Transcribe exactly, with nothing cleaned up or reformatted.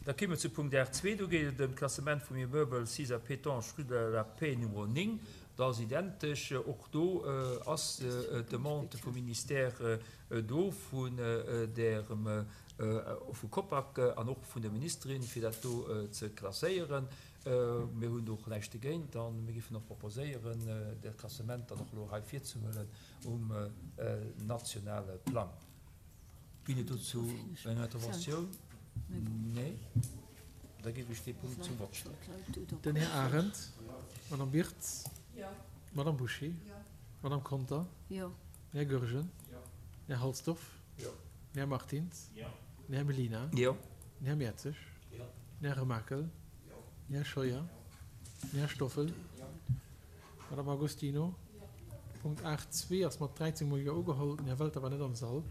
Da kéime mer zu Punkt R zwee. Do geet et ëm d'Klassement vum Immeuble sis à Pétange, rue de la Paix Numéro néng. Dat ass identesch. Och do ass d'Demande vum Ministère do, vun därem, vu Copac an och vun der Ministerin, fir dat do ze klasséieren. Mir hunn do och näischt dogéint a mir géifen och proposéieren, dat Klassement dann och elo hei virzehuelen um nationale Plang. Ginn et dozou eng Interventioun? Nee? Da géif ech dee Punkt zum Vott stellen. Den Här Arendt. D'Madame Birtz. D'Madame Bouché. D'Madame Conter. Den Här Goergen. Den Här Halsdorf. Den Här Martins. Den Här Mellina. Den Här Mertzig. Den Här Remakel. Den Här Scheuer. Den Här Stoffel. D'Madame Agostino. Punkt aacht zwee ass mat dräizéng Mol Jo ugeholl. Den Här Welter war net am Sall.